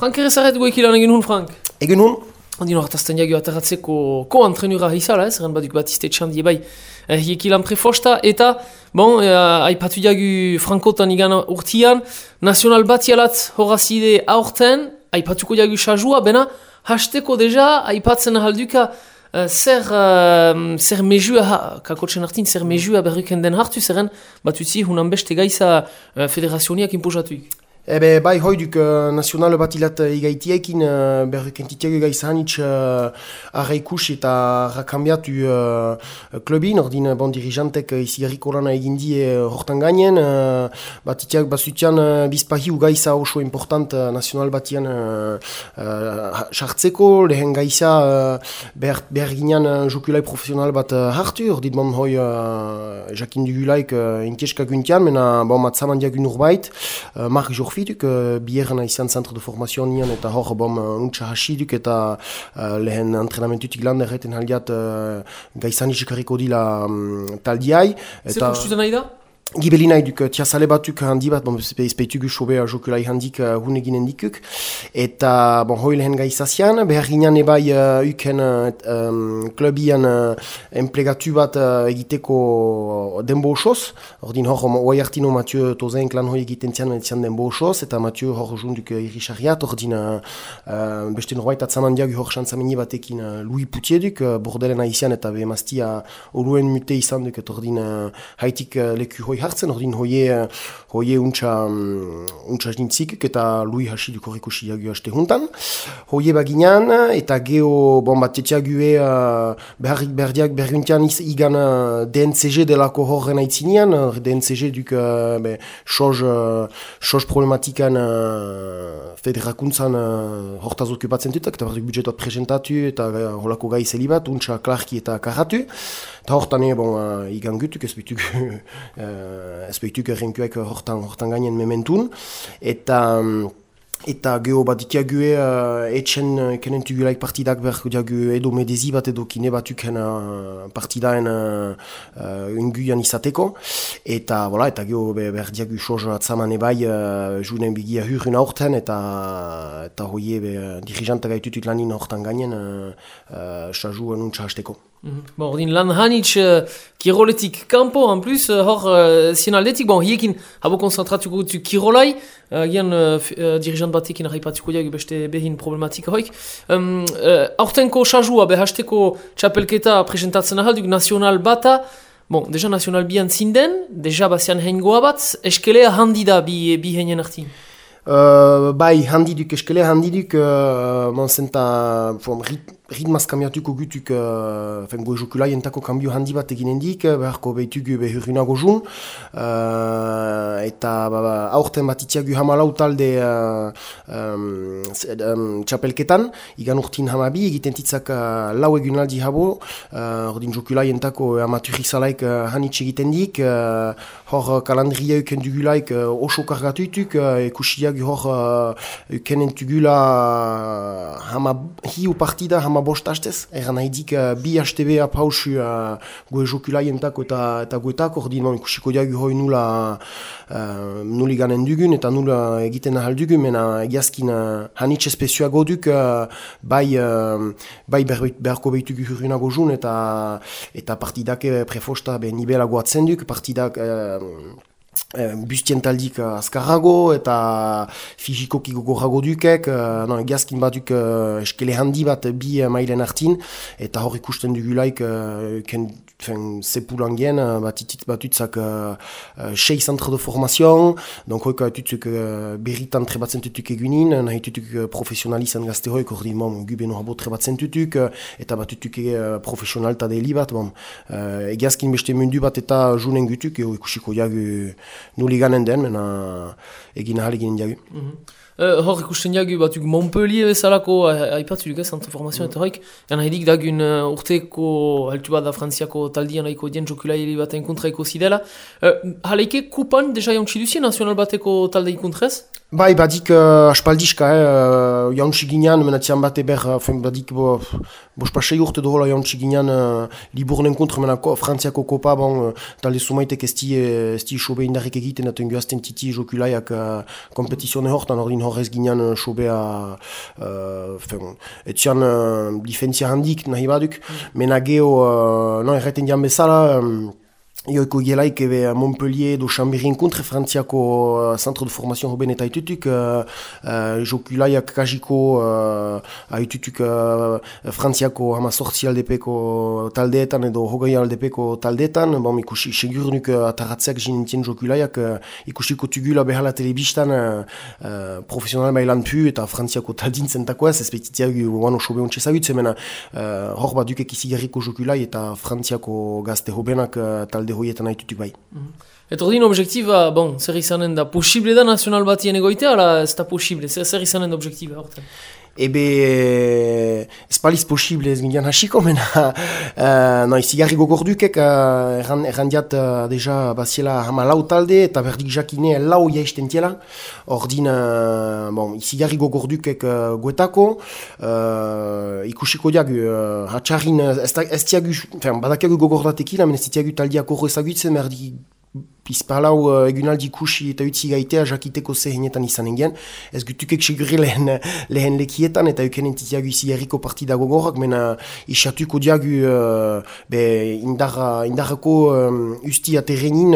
Frank Errezaret goekilan egin hun, Frank? Egin hun? Ondino hartazten jagio aterratzeko ko-antrenura izala, zerren baduk Batiste Txandi bai hiekilan prefosta, eta, aipatu jagu Frankotan igan urtian, nazional batialat horazide aurten, aipatuko jagu sajua, bena, hasteko deja, aipatzen ahalduka, zer mejua, kakotxen hartin, zer mejua berruken den hartu, zerren batutzi hunan beste gaiza federazioniak imposatuik. Bai hoiduk nazional batilat igaitiekin berrukentitiago gaizanitz arraikus eta rakambiatu klubin, ordin dirijantek izigarriko lana egindie hortan gainen, batitiak bazutian bizpahiu gaiza oso important nazional batian sartzeko, lehen gaiza behar ginean jokulai profesional bat hartu, ordin hoi jakin dugulaik inkeska guntian, mena matzaman diagun urbait, Mark Jorfiduk, bierna izan centre de formazioan nian eta hor untsa hasiduk eta lehen entrenamentutik lan erreten haldiat gaizanitzik harriko dila taldiai. Zer konstituten nahi da? Gibelina eduk tiasale batuk handi bat, espeitugu sobea jokulai handik hun eginen dikuk. Eta hoi lehen gaizazian, behar ginean ebai uken klubian emplegatu bat egiteko denbo osoz. Ordin hor, oai hartino Mathieu Tozenk lan hoi egiten zian denbo osoz, eta Mathieu hor junduk irrisariat, ordin beste norbait atzaman diagu hor xantzameni batekin Louis Putieduk, bordelena izian eta behemaztia oruen mute izan duk, ordin haitik leku hoi hartzen, ordin hoie untsa jintzik eta lui hasi duk horreko siagu haste juntan. Hoie baginan eta geho batetiague berdiak berguntian igan DNCG delako horren aitzinean, DNCG duk soz problematikan federakuntzan hortaz okupatzen dutak, eta berduk budjetot presentatu eta holako gai zeli bat, untsa klarki eta karratu. Eta hortan igan gutuk, ezpeituk errenkuek hortan gainen mementun. Eta geho bat ditiague etxen kenen tugulaik partidak berko diagu edo medezi bat edo kine batuken partidaen unguian izateko. Eta geho berdiagu soz atzaman ebai junen bigia hurrun aurten eta hoie dirijantak gaitutut lanin hortan gainen saju nuntza hasteko. Ordin lan hanitz kiroletik kampo, en plus, hor zinaldetik, hiekin habo konzentratuko gutu kirolai, gian dirijant batekin haipatuko diagu beste behin problematika hoik. Aurtenko sajua behasteko txapelketa presentatzen ahalduk nazional bata, deja nazional bian zinden, deja bazian heingoa bat, eskelea handi da bi heinen artin. Bai, handiduk, eskelea handiduk, monzenta ritmaz kambiatuko gutuk goe jokulai entako kambio handi bat eginen dik, beharko behitugu behurrunago jun, eta aurten bat itiagu hamalau talde txapelketan, igan urtin hamabi, egiten titzak lau egunaldi habo, ordin jokulai entako amaturizalaik hanitz egiten dik, hor kalandria euken dugulaik oso kargatutuk, ekusiak hor euken entugula hiu partida bost hastez, eran nahidik bi HTB apausu goe jokulaientako eta goetako, ordin ikusiko diagu hoi nula ganen dugun eta nula egiten ahal dugun, mena egiazkin hanitz espezioago duk bai beharko behitugu hurrunago jun eta partidak prefosta nibelago atzen duk, partidak bustien taldik azkarrago eta fizikoki gogorrago dukek, egiazkin baduk eskele handi bat bi mailen hartin, eta hor ikusten dugulaik sepulan gen, batutzak 6 centre de formazioan, donc hoik tutzuk berritan trebatzen tutuk egunin, nahi tutuk profesionalizan gazte hoik, ordin gubeno habo trebatzen tutuk, eta batutuk profesional eta deli bat, egiazkin beste mundu bat eta junen gutuk, ikusiko diagu nuli ganen den, mena egin ahal eginen diagu. Hor ikusten jagu batuk Montpellier bezalako aipatu duk centre formazioan eta hoik, gana edik dagun urteko heltu bat da frantziako taldian haiko dien jokulai baten kontraiko zidela. Haleike kupan deja jauntzi duzien nazional bateko talde ikuntrez? Bai, badik aspaldiska, jauntsi ginean, menatzean bat eber, badik bospasei urte dohola jauntsi ginean liburnen kontra menako Frantziako kopa, talde sumaitek ez di sobe indarrik egiten, eta ingoazten titi jokulaiak kompetizione hortan, ordin horrez ginean sobea, etzian difentzia handik nahi baduk, mena geho, erraiten dian bezala, Ioiko gelaik ebe Montpellier do Chambéry kontre Frantziako centre de formation hoben eta haitutuk jokulaiak kajiko haitutuk Frantziako hamazortzi aldepeko taldeetan edo hogei aldepeko taldeetan ikusi segurnuk ataratzeak jinentien jokulaiak ikusiko tugula behala telebistan profesional mailan pu eta Frantziako taldin zentakoaz ez betitiak guano sobe ontsa ezagutzen mena hor bat dukek izigarriko jokulai eta Frantziako gazte hobenak talde hoietan haitutuk bai. Eta ordin objektiba, zer izanen da posible da nazional batien egoitea, ala ez da posible, zer izanen da objektiba horten? Ebe, ez paliz posible ez gindian hasiko, mena, izigarri gogordukek, errandiat deja baziela hama lau talde, eta berdik jakine lau jaisten tiela, ordin, izigarri gogordukek guetako, ikusiko diagu, hatxarrin, ez diagu, badakiagu gogordatekila, men ez diagu taldiak horro ezagutzen, berdik, Pizpalau egunaldi ikusi eta utzi gaitea jakiteko zehenetan izan engen. Ez gutukek segurri lehen lekietan eta eukenen titiagu izigarriko partida gogorrak, mena isatuko diagu indarrako usti aterrenin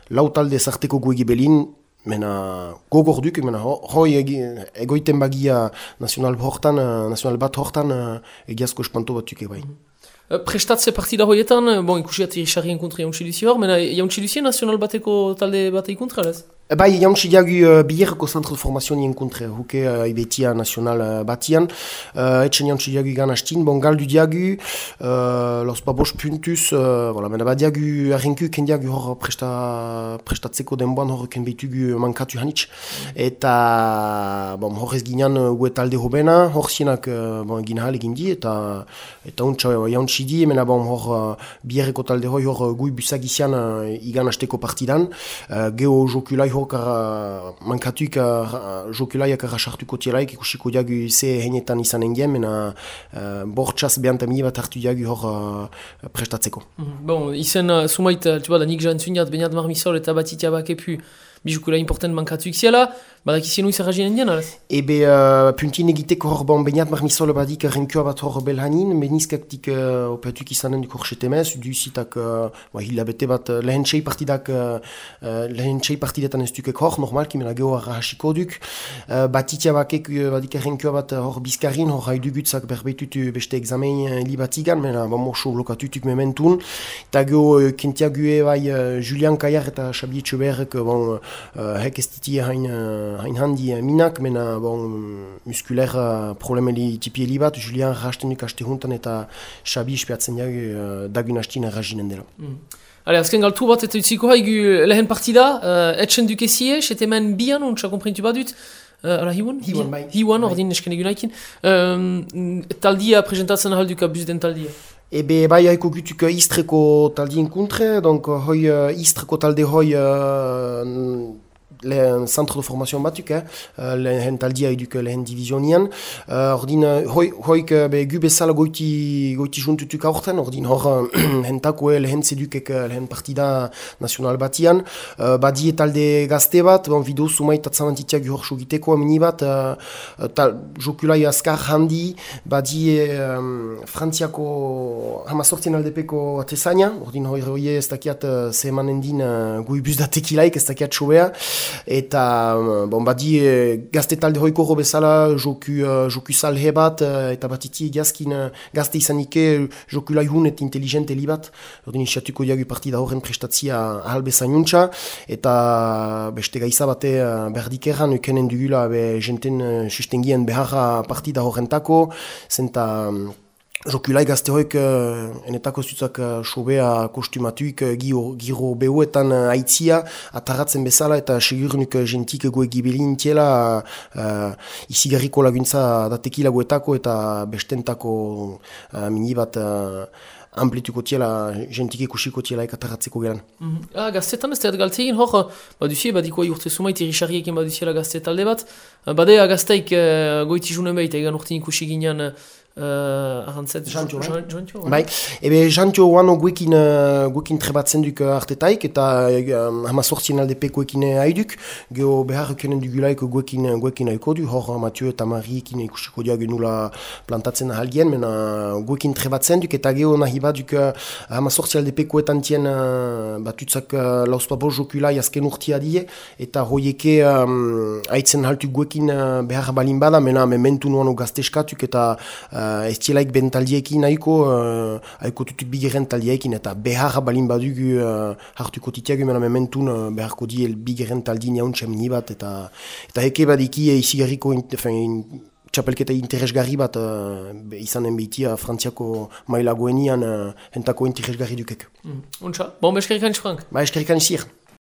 lau talde zarteko goegibelin, mena gogorduk, mena hoi egoiten bagia nazional bat hortan egiazko espanto batuk bai. Prestatze partida hoietan, ikusiat irixarrien kontra jauntxilizio hor, mena jauntxilizio nazional bateko talde batei kontra, lez? Bai, jauntsi diagu biherreko centre de formation nien kontre, huke ibetia nazional batian. Etxen jauntsi diagu igan hastin, galdu diagu, los babos puntuz, mena bat diagu arrenku ken diagu hor prestatzeko denboan hor ken behitugu mankatu hanitz. Eta horrez ginean gue talde hobena, hor zienak gine hale gindi, eta untsa jauntsi di, mena hor biherreko talde hoi hor gui busagizian igan hasteko partidan. Geho jokulai mankatuik jokulaiak arrasartuko tielaik ikusiko diagu ze heinetan izan engien, mena bortxaz behantamini bat hartu diagu hor prestatzeko. Izen sumait, da nik jantzuniat Beñat Marmisol eta Batitia Bakepu bijukulai important mankatuik ziala, badak izien uiz erraginen dian, alaz? Ebe puntin egiteko hor Beñat Marmisol badik renkua bat hor belhanin, benizkaktik opetuk izanen duk horxetemez, duzitak hilabete bat lehen txei partidetan ez dukek hor, normalki mena geho arrahasiko duk. Batitia bakek badik renkua bat hor bizkarin, hor haidugutzak berbeitutu beste examen li batigan, mena morso blokatutuk mementun. Eta geho kentiague bai Julian Kayar eta Xabi Etxeberrek hek ez diti hain handi minak, mena muskuler problemeli tipieli bat, Julian rastenuk haste huntan eta Xabi espiatzen dagun hastin erraginen dela. Azken galtu bat eta utziko haigu lehen partida, etxen dukezie, setemen bian, untsa komprentu badut, hiuan, ordin esken egunaikin, taldia presentatzen ahalduka buzden taldia. Ebe bai haiko gutuk istreko taldien kontre, donc hoi istreko talde hoi lehen centre de formation batuk, lehen taldia eduk lehen divizionian. Ordin hoik gu bezala goiti juntutuk aurten, ordin hor hentako lehen zedukek lehen partida nasional batian. Badie talde gazte bat, video sumait atzamantitiak hor sogiteko amini bat, jokulai askar handi, badie Frantziako hamazortzien aldepeko atezaina, ordin hoi ez dakiat zemanen din goi buzdatekilaik ez dakiat sobea, eta badi gazte talde hoiko hor bezala joku salhe bat eta batiti egiazkin gazte izanike jokulai hun eta inteligente li bat, ordin isiatuko diagu partida horren prestatzia ahal bezainontza, eta beste gaiza bate berdikerran ukenen dugula jenten sustengien beharra partida horrentako, zenta jokulai gazte hoik enetako zutzak sobea kostumatuik giro behuetan aitzia ataratzen bezala eta segurnuk jentik goegibelin tiela izigarriko laguntza datekila goetako eta bestentako mini bat amplituko tiela, gentik ikusiko tiela ekatarratzeko gelan. Gaztetan ez da galtzegin, hor, baduzie, badiko urte sumait irrisarriekin baduziela gazte talde bat, badea gazteik goitizunen behit, egan urtein ikusi ginean arantzet, Jantio? Bai, Jantio oano guekin trebatzen duk artetaik, eta hamazortzien aldepekoekin haiduk, geho behar ekenen dugulaik guekin haiko du, hor Mathieu eta Mariekin ikusiko diag nula plantatzen ahalgien, mena guekin trebatzen duk, eta geho nahi bat duk hamazortzien aldepekoetan tien batutzak lauzpabo jokulai azken urtia die, eta hoieke haitzen haltu guekin behar balin bada, mena mementu nuano gazteskatuk, eta ez tielaik ben taldiekin haiko tutuk bigeren taldiekin eta behar balin badugu hartuko titiagu mena mementun beharko di bigeren taldi niauntxem nibat eta heke badiki izigarriko txapelketa interesgarri bat izanen behitia Frantziako mailagoenian entako interesgarri dukek. Untxa, bon, eskerrik Frank. Eskerrik